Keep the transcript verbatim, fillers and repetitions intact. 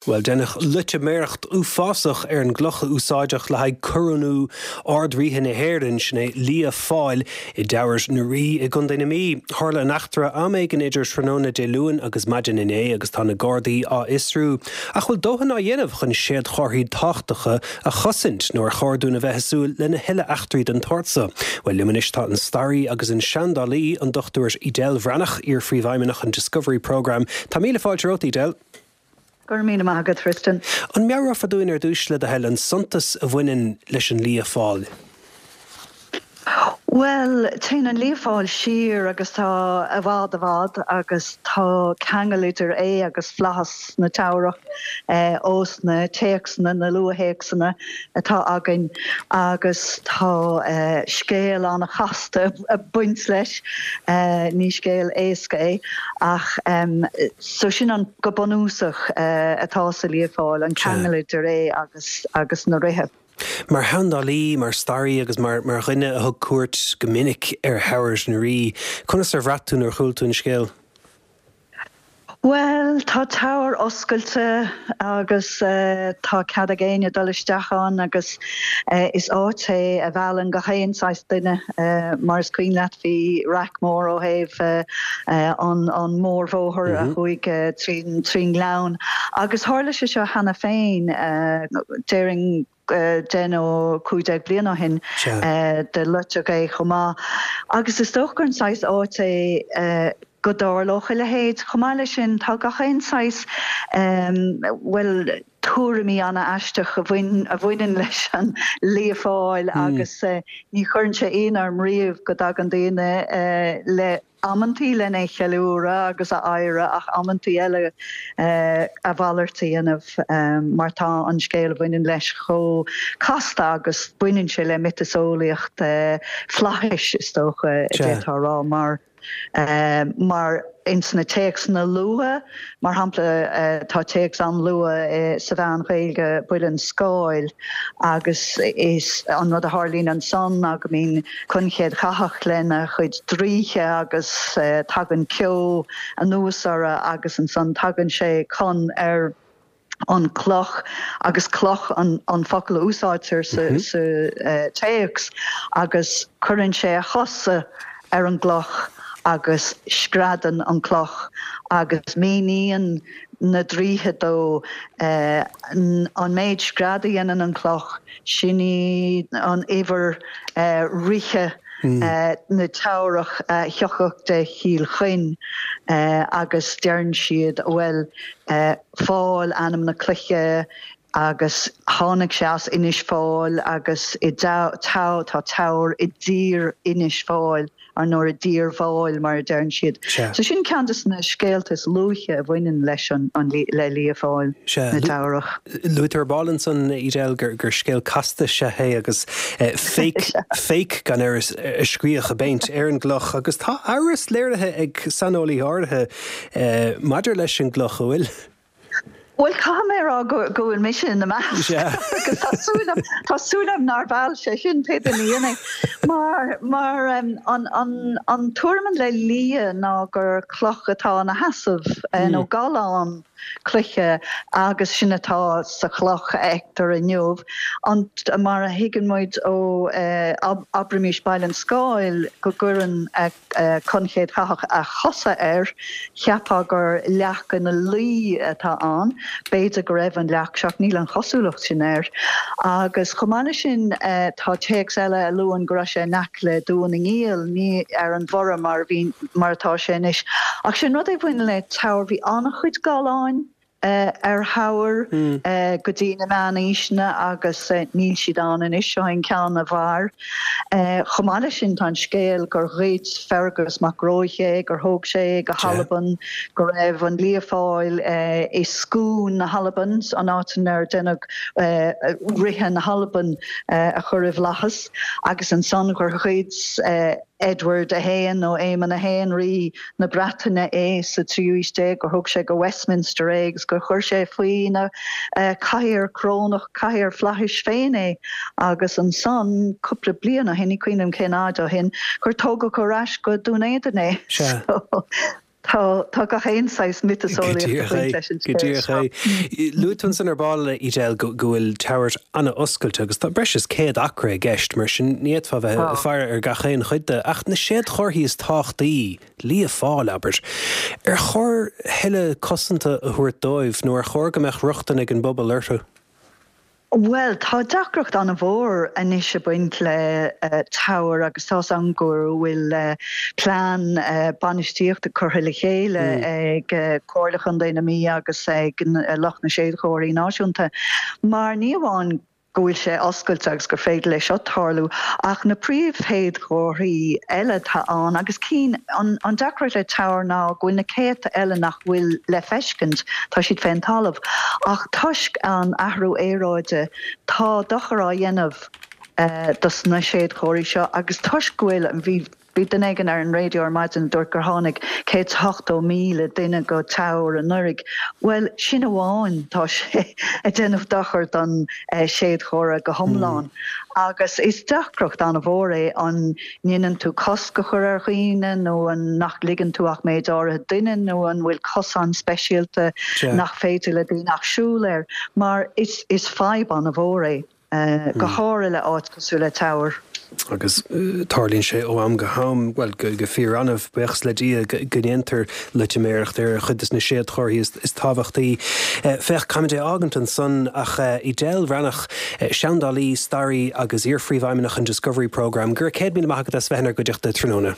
Bhuel, deineadh loitiméireacht uafásach ar an gcloch a úsáideadh le haghaidh corónú Ard-Ríthe na hÉireann, sin é Lia Fáil, i dTeamhair na Rí i gContae na Mí. Tharla an eachtra am éigin idir tráthnóna Dé Luain agus maidin inné agus tá na Gardaí á fhiosrú. Ach bhfuil dóthain á dhéanamh chun séadchomharthaí tábhachtacha a chosaint nó ar chóir dúinn a bheith ag súil lena thuilleadh eachtraí den tsórt seo? Bhuel, liom anois tá an staraí agus an seandálaí, an Dochtúir Edel Bhreathnach, iar-phríomhfheidhmeannach an Discovery Programme. Tá míle fáilte romhat, Edel. Go raibh míle maith agat, Tristan. An meabhrófá dúinn ar dtús le do thoil an suntas a bhaineann leis an Lia Fáil? Bhuel, téann an Lia Fáil siar agus tá i bhfad i bhfad agus tá ceangal idir é agus Flaitheas na Teamhrach ós na téacsanna, na luaththéacsanna atá againn agus tá scéal an-chasta ag baint leis. Ní scéal éasca é ach so sin an go bunúsach atá sa Lia Fáil, an ceangal idir é agus agus na ríthe. Mar sheandálaí, mar staraí agus mar mar dhuine a thug cuairt go minic ar Theamhair na Rí, conas ar bhraith tú nuair a chuala tú an scéal? Bhuel, tá Teamhair oscailte agus tá cead ag éinne dul isteach ann agus is áit é a mheallann gach aon saghas duine. Mar is cuimhin leat bhí raic mór ó thaobh an an mórbhóthar a chuaigh trín trín ngleann agus tharla sé seo cheana féin, déarfainn deich nó cúig déag bliain ó shin do loiteadh é chomh maith. Agus is dócha gur an saghas áit é go dtarlódh a leithéid. Chomh maith leis sin, tá gach aon saghas, bhuel, tuairimí an-aisteach a bhaineann leis an Lia Fáil agus ní chuireann sé ionadh orm riamh go dtagann daoine le amantaí lena cheiliúradh agus a adhradh ach amantaí eile a mhalairt a dhéanamh mar tá an scéal a bhaineann leis chomh casta agus baineann sé le miotaseolaíocht flaithis is dócha a d'fhéadfá a rá mar mar ins na téacsanna luatha, mar shampla tá téacs an-luath sa Mheán-Ghaeilge, Buile an Scáil, agus is an rud a tharlaíonn ansan ná go mbíonn Conn Chéadchathach lena chuid draoithe agus tagann ceo anuas orthu agus ansan tagann sé Conn ar an cloch agus cloch an an focal a úsáidtear sa sa téacs agus cuireann sé a chosa ar an gcloch agus screadann an cloch agus míníonn na draoithe dó an méid scread a dhéanann an cloch, sin í an uimhir ríthe na Teamhrach a thiocfadh de Chill Choinn agus deireann siad, bhuel, Fáil ainm na cloiche agus tháinig sé as Inis Fáil agus i tá Teamhair i dtír Inis Fáil. Ar ndóigh i dTír Mháil mar a deireann siad. So sin ceann de na scéalta is luaithe a bhaineann leis an le Lia Fáil na Teamhrach. Luaigh tú ar ball ansan, Edel, gur gur scéal casta is ea é agus fake fake gan amhras a scríodh i bpéint ar an gcloch agus tá amhras léirithe ag saineolaithe áirithe maidir leis an gcloch, an bhfuil? Bhuel, caithfidh mé a rá go go bhfuil mise ina measc agus tá súil agam tá súil agam nár mheall sé sin pé duine a dhein é. Mar mar an an an tuairim le lia ná gur cloch atá ina sheasamh nó gallán cloiche agus sin atá sa chloch a fheictear inniu. An mar a thuigeann muid ó abraimis Baile an Scáil go gcuireann Conn Chéadchathach a chosa air, cheapfá gur leac ina luí atá ann. B'fhéidir go raibh an leac seo, ach níl an chosúlacht sin air. Agus chomh maith leis sin, tá téacs eile a luann go raibh sé in aice le Dún na nGiall, ní ar an Bhorra mar a bhí, mar atá sé anois. Ach sin rud é a bhaineann le Teamhair, bhí an-chuid galláin ar Theamhair go dtí na meánaoiseanna agus níl siad ann anois, seo é an ceann a mhair. Chomh maith leis sin tá an scéal gur ghoid Fergus Mac Róich é, gur thóg sé é go hAlbain, go raibh an Lia Fáil i Scone na hAlban, an áit inar deineadh ríthe na hAlban a chur i bhflaitheas, agus ansan gur ghoid Edward a haon nó Éamonn a haon, rí na Breataine é sa tríú haois déag, gur thóg sé go Westminster é agus gur chuir sé faoina chathaoir corónach, cathaoir flaithis féin é agus ansan, cúpla bliain ó shin, ní cuimhin liom cén fhad ó shin, gur tógadh ar ais go Dún Éideann é. Sea. So, Tá tá gach aon saghas miotaseolaíocht leis an Go díreach é. Luaigh tú ansan ar ball Edel go bhfuil Teamhair an-oscailte agus tá breis is céad acra i gceist mar sin ní fhéadfá bheith ag faire ar gach aon chuid de ach na séadchomharthaí is tábhachtaí Lia Fáil abair. Ar chóir thuilleadh cosanta a thabhairt dóibh nó ar chóir go mbeadh rochtain ag an bpobal orthu? Bhuel, tá deacracht an-mhór anois ag baint le Teamhair agus tá an go bhfuil plean bainistíochta curtha le chéile ag Comhairle Chontae na Mí agus ag lucht na Séadchomharthaí Náisiúnta. Mar ní amháin go bhfuil sé oscailte agus gur féidir leis seo tarlú ach na príomhshéadchomharthaí eile atá ann agus cinn an an deacracht le Teamhair ná go bhfuil na céadta eile nach bhfuil le feiscint, tá siad fén talamh. Ach toisc an athrú aeráide tá dochar á dhéanamh dos na séadchomharthaí seo agus toisc go bhfuil bhí bhí duine éigin ar an raidió ar maidin dúirt gur tháinig céad ochtó míle duine go Teamhair anuraidh. Well sin amháin tá sé ag déanamh dochar don séadchomhartha go hiomlán. Agus is deacracht an-mhór é an ndéanann tú cosc a chur ar dhaoine nó an nach ligeann tú ach méid áirithe duine nó an bhfuil cosán speisialta nach féidir le daoine ach siúl air, mar is is fadhb an-mhór é. Go háirithe le áit cosúil le Teamhair. Agus tarlaíonn sé ó am go ham, bhuel, go fíor-annamh, buíochas le Dia, go ndéantar loitiméireacht ar chuid de na séadchomharthaí is tábhachtaí. Féach, caithfimid é a fhágaint ansan ach Edel Bhreathnach, seandálaí, staraí agus iar-phríomhfheidhmeannach an Discovery Programme, go raibh céad míle maith agat as bheith inár gcuideachta tráthnóna.